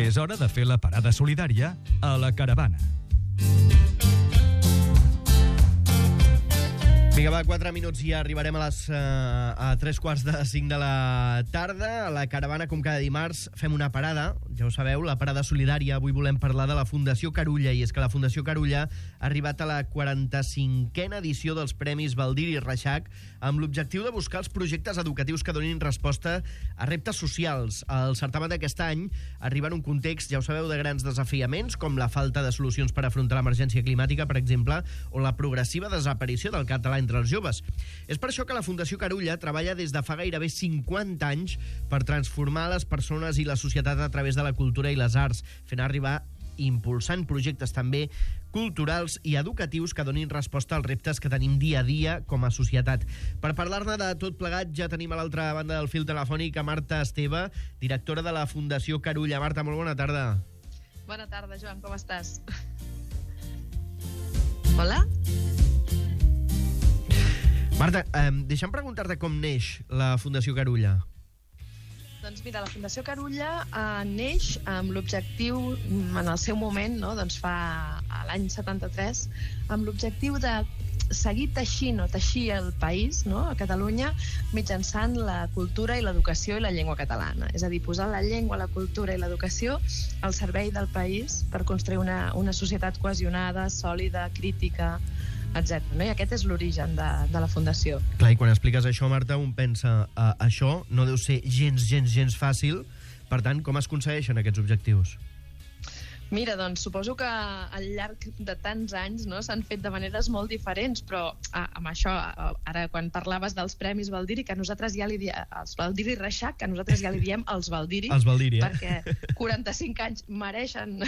És hora de fer la parada solidària a la caravana. Vinga, va, 4 minuts i arribarem a 3:45 de la tarda. A la caravana, com cada dimarts, fem una parada. Ja ho sabeu, la parada solidària. Avui volem parlar de la Fundació Carulla, i és que la Fundació Carulla ha arribat a la 45a edició dels Premis Baldiri Reixac amb l'objectiu de buscar els projectes educatius que donin resposta a reptes socials. El certamen d'aquest any arriba en un context, ja ho sabeu, de grans desafiaments, com la falta de solucions per afrontar l'emergència climàtica, per exemple, o la progressiva desaparició del català entre els joves. És per això que la Fundació Carulla treballa des de fa gairebé 50 anys per transformar les persones i la societat a través de la cultura i les arts, fent arribar impulsant projectes també culturals i educatius que donin resposta als reptes que tenim dia a dia com a societat. Per parlar-ne de tot plegat ja tenim a l'altra banda del fil telefònic a Marta Esteve, directora de la Fundació Carulla. Marta, molt bona tarda. Bona tarda, Joan, com estàs? Hola? Marta, deixa'm preguntar-te com neix la Fundació Carulla. Doncs mira, la Fundació Carulla neix amb l'objectiu, en el seu moment, no, doncs fa l'any 73, amb l'objectiu de seguir teixint o teixir el país, no, a Catalunya, mitjançant la cultura i l'educació i la llengua catalana. És a dir, posar la llengua, la cultura i l'educació al servei del país per construir una societat cohesionada, sòlida, crítica, etc. No? I aquest és l'origen de la Fundació. Clar, i quan expliques això, Marta, un pensa això no deu ser gens fàcil. Per tant, com es aconsegueixen aquests objectius? Mira, doncs suposo que al llarg de tants anys, no, s'han fet de maneres molt diferents, però amb això, ara quan parlaves dels Premis Baldiri, que nosaltres ja li diem, els Baldiri Reixac, que nosaltres ja li diem els Baldiri, perquè 45 anys mereixen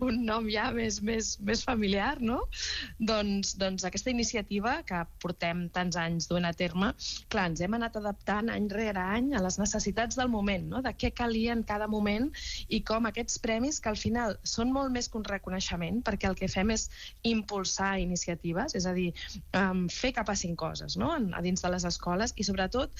un nom ja més familiar, no? Doncs aquesta iniciativa que portem tants anys duent a terme, clar, ens hem anat adaptant any rere any a les necessitats del moment, no? De què calia en cada moment i com aquests premis, que al final són molt més que un reconeixement, perquè el que fem és impulsar iniciatives, és a dir, fer que passin coses, no?, a dins de les escoles, i sobretot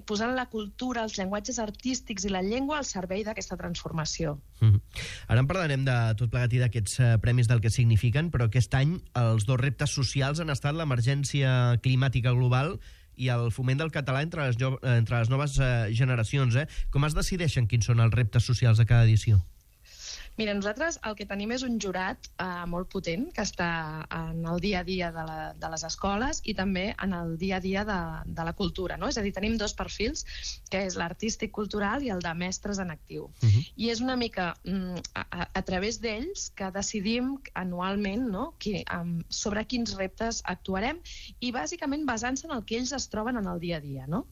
posant la cultura, els llenguatges artístics i la llengua al servei d'aquesta transformació. Ara en parlarem de tot plegat i d'aquests premis, del que signifiquen, però aquest any els dos reptes socials han estat l'emergència climàtica global i el foment del català entre les noves generacions. Com es decideixen quins són els reptes socials de cada edició? Mira, nosaltres el que tenim és un jurat molt potent que està en el dia a dia de les escoles i també en el dia a dia de la cultura, no? És a dir, tenim dos perfils, que és l'artístic cultural i el de mestres en actiu. I és una mica a través d'ells que decidim anualment, no?, sobre quins reptes actuarem, i bàsicament basant-se en el que ells es troben en el dia a dia, no?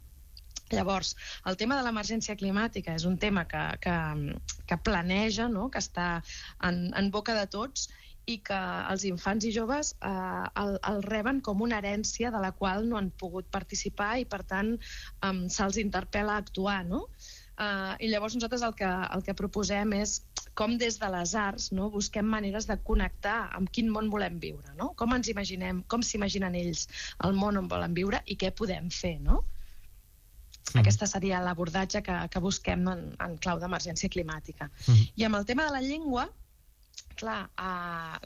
Llavors, el tema de l'emergència climàtica és un tema que planeja, no?, que està en boca de tots, i que els infants i joves el reben com una herència de la qual no han pogut participar i, per tant, se'ls interpel·la a actuar, no? I llavors nosaltres el que proposem és com des de les arts, no, busquem maneres de connectar amb quin món volem viure, no? Com ens imaginem, com s'imaginen ells el món on volen viure i què podem fer, no? Aquesta seria l'abordatge que busquem en clau d'emergència climàtica. I amb el tema de la llengua, clar,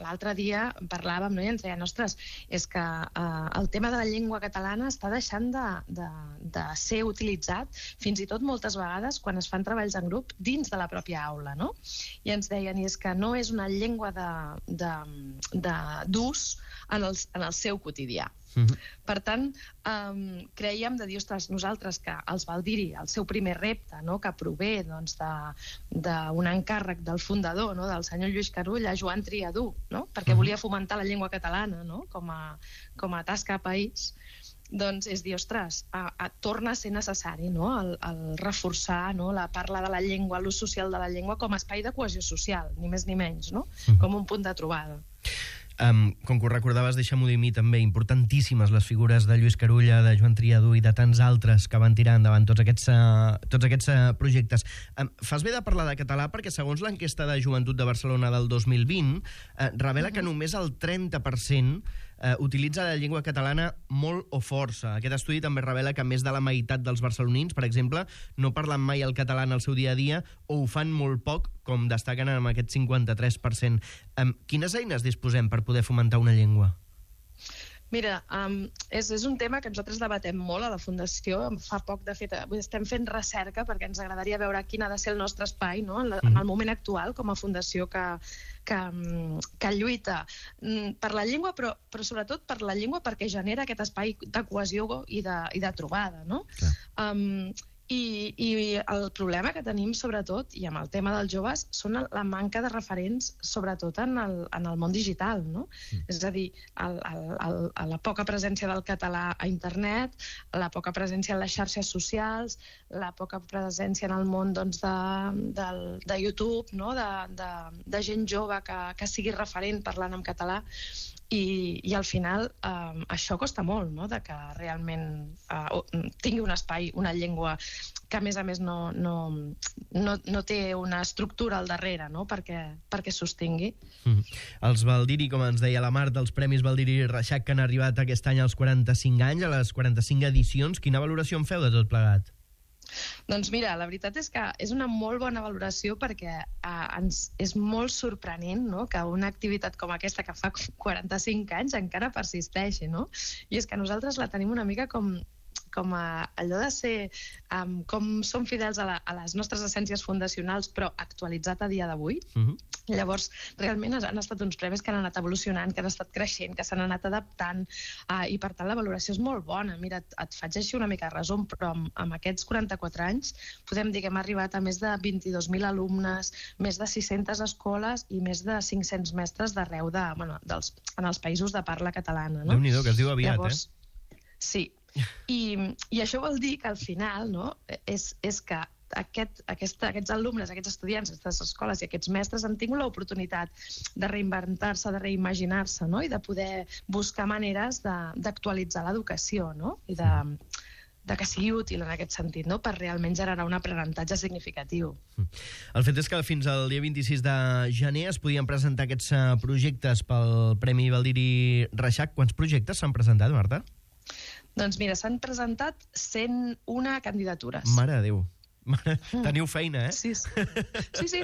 l'altre dia parlàvem, no?, i ens deien, ostres, és que el tema de la llengua catalana està deixant de ser utilitzat fins i tot moltes vegades quan es fan treballs en grup dins de la pròpia aula, no? I ens deien, i és que no és una llengua d'ús en el seu quotidià. Per tant, creiem de dir, ostres, nosaltres que els Baldiri, el seu primer repte, no?, que prové d'un encàrrec del fundador, no?, del senyor Lluís Carulla, Joan Triadú, no?, perquè volia fomentar la llengua catalana, no?, com a tasca a país, doncs és dir, ostres, torna a ser necessari, no?, el reforçar, no?, la parla de la llengua, l'ús social de la llengua com a espai de cohesió social, ni més ni menys, no?, com un punt de trobada. Com que ho recordaves, deixa'm-ho dir a mi també, importantíssimes les figures de Lluís Carulla, de Joan Triadú i de tants altres que van tirar endavant tots aquests projectes. Fas bé de parlar de català perquè, segons l'enquesta de Joventut de Barcelona del 2020, revela que només el 30% utilitza la llengua catalana molt o força. Aquest estudi també revela que més de la meitat dels barcelonins, per exemple, no parlen mai el català en el seu dia a dia o ho fan molt poc, com destaquen amb aquest 53%. Quines eines disposem per poder fomentar una llengua? Mira, és un tema que nosaltres debatem molt a la Fundació. Fa poc, de fet, estem fent recerca perquè ens agradaria veure quin ha de ser el nostre espai, no? En el moment actual, com a fundació que lluita per la llengua, però sobretot per la llengua perquè genera aquest espai de cohesió i de trobada, no? I el problema que tenim, sobretot, i amb el tema dels joves, són la manca de referents, sobretot en el món digital, no? És a dir, la poca presència del català a internet, la poca presència en les xarxes socials, la poca presència en el món de YouTube, no? De gent jove que sigui referent parlant en català. I al final això costa molt, no? De que realment tingui un espai, una llengua que a més no té una estructura al darrere, no? perquè sostingui. Els Baldiri, com ens deia la Marta, els Premis Baldiri Reixac que han arribat aquest any als 45 anys, a les 45 edicions, quina valoració en feu de tot plegat? Doncs mira, la veritat és que és una molt bona valoració perquè és molt sorprenent, no? Que una activitat com aquesta que fa 45 anys encara persisteixi, no? I és que nosaltres la tenim una mica com allò de ser com som fidels a les nostres essències fundacionals però actualitzat a dia d'avui. Llavors realment han estat uns premis que han anat evolucionant, que han estat creixent, que s'han anat adaptant i per tant la valoració és molt bona. Mira, et faig així una mica resum, però amb aquests 44 anys podem dir que hem arribat a més de 22.000 alumnes, més de 600 escoles i més de 500 mestres d'arreu en els països de parla catalana. Déu-n'hi-do, que es diu aviat, llavors, sí. I això vol dir que al final, no, és que aquests alumnes, aquests estudiants, aquestes escoles i aquests mestres han tingut l'oportunitat de reinventar-se, de reimaginar-se, no? I de poder buscar maneres d'actualitzar l'educació, no? I de que sigui útil en aquest sentit, no? Per realment generar un aprenentatge significatiu. El fet és que fins al dia 26 de gener es podien presentar aquests projectes pel Premi Baldiri Reixac. Quants projectes s'han presentat, Marta? Doncs mira, s'han presentat 101 candidatures. Mare de Déu. Teniu feina, Sí,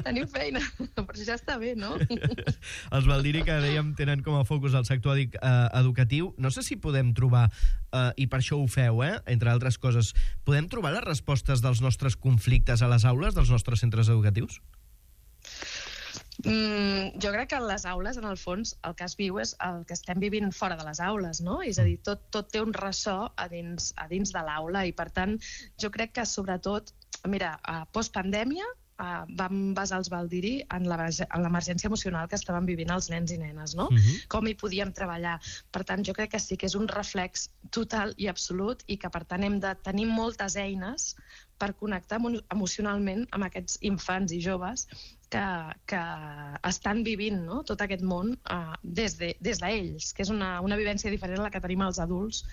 teniu feina, però ja està bé, no? Els Baldiri, que dèiem, tenen com a focus el sector educatiu. No sé si podem trobar, i per això ho feu, entre altres coses, podem trobar les respostes dels nostres conflictes a les aules dels nostres centres educatius? Jo crec que a les aules, en el fons, el que es viu és el que estem vivint fora de les aules, no? És a dir, tot té un ressò a dins de l'aula i, per tant, jo crec que, sobretot, mira, postpandèmia vam basar els Baldiri en l'emergència emocional que estaven vivint els nens i nenes, no? Com hi podíem treballar. Per tant, jo crec que sí que és un reflex total i absolut i que, per tant, hem de tenir moltes eines per connectar emocionalment amb aquests infants i joves que estan vivint, no? Tot aquest món des d'ells, que és una vivència diferent a la que tenim els adults,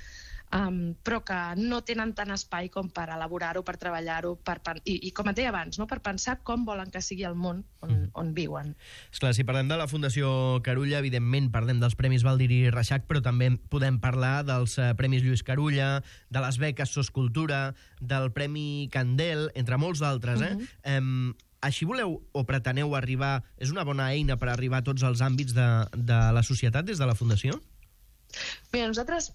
però que no tenen tant espai com per elaborar-ho, per treballar-ho, i com et deia abans, no? Per pensar com volen que sigui el món on viuen. Esclar, si parlem de la Fundació Carulla, evidentment parlem dels Premis Baldiri Reixac, però també podem parlar dels Premis Lluís Carulla, de les beques SOS Cultura, del Premi Candel, entre molts d'altres, Així voleu o preteneu arribar... És una bona eina per arribar a tots els àmbits de la societat des de la Fundació? Mira, nosaltres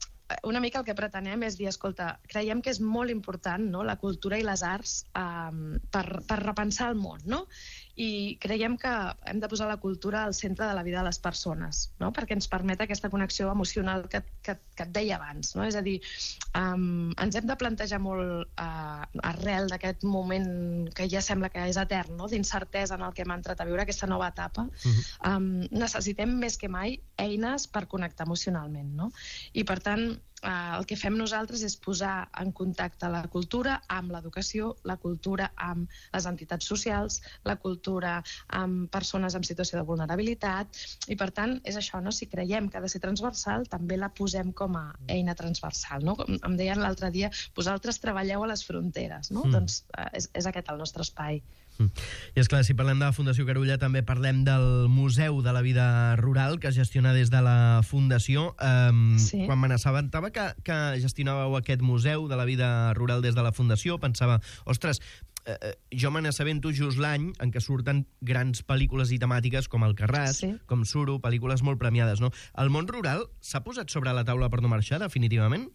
una mica el que pretenem és dir, escolta, creiem que és molt important, no?, la cultura i les arts per repensar el món, no? I creiem que hem de posar la cultura al centre de la vida de les persones, no? Perquè ens permet aquesta connexió emocional que et deia abans, no? És a dir, ens hem de plantejar molt arrel d'aquest moment que ja sembla que és etern, no?, d'incertesa en el que hem entrat a viure aquesta nova etapa. Necessitem més que mai eines per connectar emocionalment, no? I per tant, el que fem nosaltres és posar en contacte la cultura amb l'educació, la cultura amb les entitats socials, la cultura amb persones en situació de vulnerabilitat, i per tant és això, no? Si creiem que ha de ser transversal, també la posem com a eina transversal, no? Em deien l'altre dia, vosaltres treballeu a les fronteres, no? Doncs és aquest el nostre espai. I és clar, si parlem de la Fundació Carulla també parlem del Museu de la Vida Rural que es gestiona des de la Fundació. Sí. Quan me n'assabentava que gestionàveu aquest Museu de la Vida Rural des de la Fundació, pensava, ostres, jo me n'assabento just l'any en què surten grans pel·lícules i temàtiques com Alcarràs, Sí. com Suro, pel·lícules molt premiades, no? El món rural s'ha posat sobre la taula per no marxar, definitivament?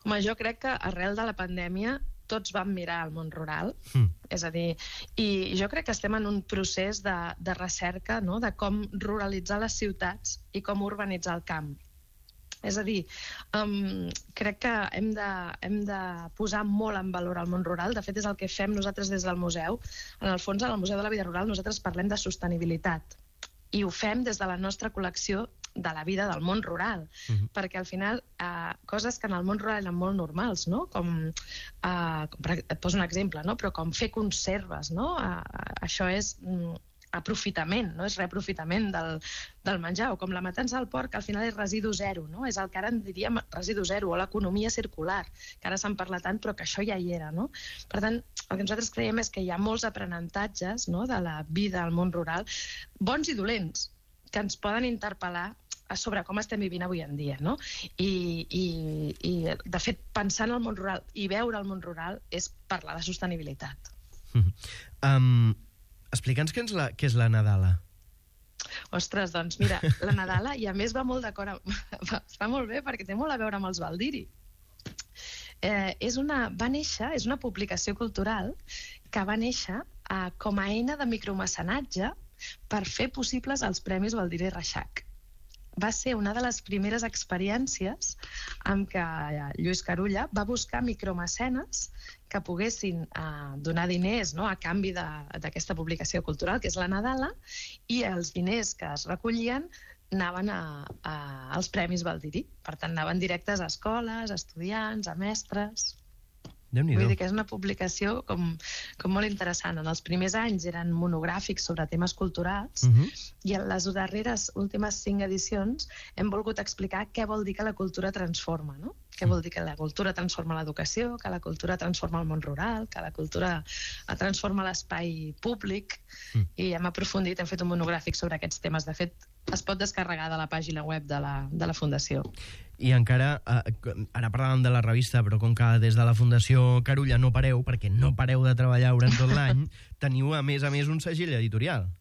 Home, jo crec que arrel de la pandèmia tots vam mirar el món rural, és a dir, i jo crec que estem en un procés de recerca, no?, de com ruralitzar les ciutats i com urbanitzar el camp. És a dir, crec que hem de posar molt en valor el món rural. De fet, és el que fem nosaltres des del museu. En el fons, en el Museu de la Vida Rural nosaltres parlem de sostenibilitat i ho fem des de la nostra col·lecció de la vida del món rural, perquè al final coses que en el món rural eren molt normals, no? Et poso un exemple, no? Però com fer conserves, no? Això és aprofitament, no? És reaprofitament del menjar, o com la matança del porc, al final és residu zero, no? És el que ara en diríem residu zero, o l'economia circular, que ara se'n parla tant, però que això ja hi era, no? Per tant, el que nosaltres creiem és que hi ha molts aprenentatges, no?, de la vida al món rural, bons i dolents, que ens poden interpel·lar sobre com estem vivint avui en dia, no? I de fet, pensar en el món rural i veure el món rural és parlar de sostenibilitat. Explica'ns què és la Nadala. Ostres, doncs mira, la Nadala, i a més va molt d'acord està molt bé perquè té molt a veure amb els Baldiri. És una publicació cultural que va néixer com a eina de micromecenatge per fer possibles els Premis Baldiri Reixac. Va ser una de les primeres experiències en què Lluís Carulla va buscar micromecenes que poguessin donar diners, no?, a canvi d'aquesta publicació cultural, que és la Nadala, i els diners que es recollien anaven als Premis Baldiri. Per tant, anaven directes a escoles, a estudiants, a mestres. Déu-n'hi-do. Vull dir que és una publicació com molt interessant. En els primers anys eren monogràfics sobre temes culturals i en les darreres últimes 5 edicions hem volgut explicar què vol dir que la cultura transforma, no? Què vol dir que la cultura transforma l'educació, que la cultura transforma el món rural, que la cultura transforma l'espai públic, i hem aprofundit, hem fet un monogràfic sobre aquests temes. De fet, es pot descarregar de la pàgina web de la Fundació. I encara, ara parlàvem de la revista, però com que des de la Fundació Carulla no pareu, perquè no pareu de treballar durant tot l'any, teniu a més un segell editorial.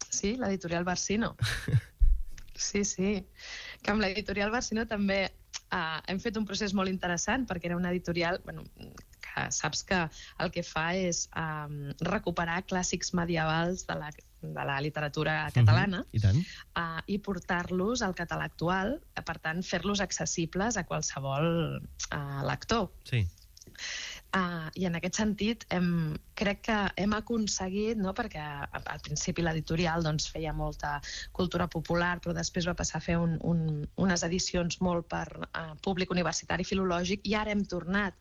Sí, l'editorial Barsino. Sí. Que amb l'editorial Barsino també hem fet un procés molt interessant, perquè era una editorial que saps que el que fa és recuperar clàssics medievals de la literatura catalana i portar-los al català actual, per tant, fer-los accessibles a qualsevol lector. Sí. I en aquest sentit crec que hem aconseguit, no?, perquè al principi l'editorial feia molta cultura popular, però després va passar a fer unes edicions molt per públic universitari filològic, i ara hem tornat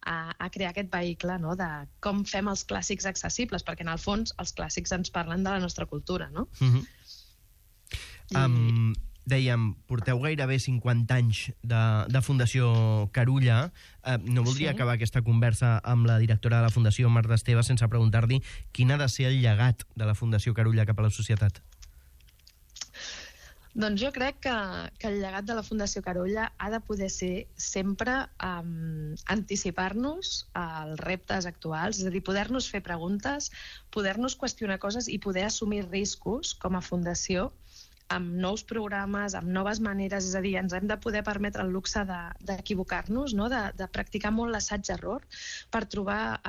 a crear aquest vehicle, no?, de com fem els clàssics accessibles, perquè en el fons els clàssics ens parlen de la nostra cultura, no? Dèiem, porteu gairebé 50 anys de Fundació Carulla. No voldria acabar aquesta conversa amb la directora de la Fundació, Marta Esteve, sense preguntar-li quin ha de ser el llegat de la Fundació Carulla cap a la societat. Doncs jo crec que el llegat de la Fundació Carulla ha de poder ser sempre anticipar-nos als reptes actuals, és a dir, poder-nos fer preguntes, poder-nos qüestionar coses i poder assumir riscos com a fundació amb nous programes, amb noves maneres, és a dir, ens hem de poder permetre el luxe d'equivocar-nos, no?, de practicar molt l'assaig-error per trobar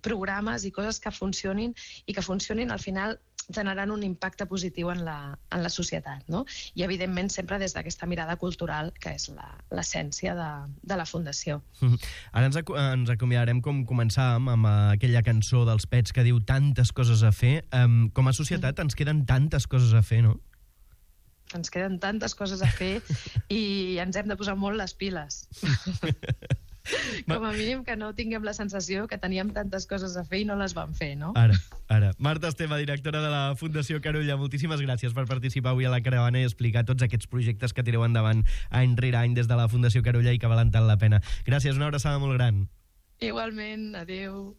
programes i coses que funcionin i que funcionin al final generant un impacte positiu en la societat, no? I evidentment sempre des d'aquesta mirada cultural que és l'essència de la Fundació. Ara ens acomiadarem com començàvem amb aquella cançó dels Pets que diu tantes coses a fer. Com a societat ens queden tantes coses a fer, no? ens queden tantes coses a fer i ens hem de posar molt les piles. Com a mínim que no tinguem la sensació que teníem tantes coses a fer i no les vam fer, no? Ara. Marta Esteve, directora de la Fundació Carulla, moltíssimes gràcies per participar avui a la Caravana i explicar tots aquests projectes que tireu endavant any rere any des de la Fundació Carulla i que valen tant la pena. Gràcies, una abraçada molt gran. Igualment, adeu.